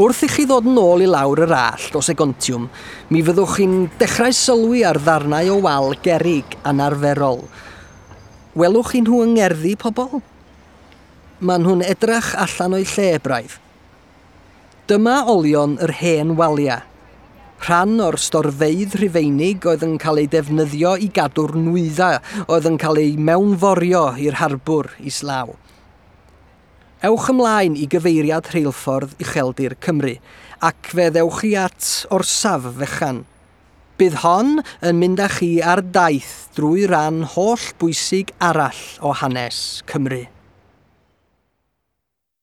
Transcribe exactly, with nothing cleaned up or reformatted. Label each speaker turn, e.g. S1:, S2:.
S1: Wrth i chi ddod yn ôl i lawr yr allt o Segontiwm, mi fyddwch chi'n dechrau sylwi ar ddarnau o wal gerrig anarferol. Welwch chi nhw yng ngerddi pobl? Maen nhw'n edrach allan o'i lle braidd. Dyma olion yr hen walia. Rhan o'r storfeydd Rhufeinig oedd yn cael ei defnyddio i gadw'r nwyddau oedd yn cael ei mewnforio i'r harbwr islaw. Ewch ymlaen i gyfeiriad rheilffordd Ucheldir Cymru ac fe ddewch chi at orsaf fechan. Bydd hon yn mynd â chi ar daith drwy ran holl bwysig arall o hanes Cymru.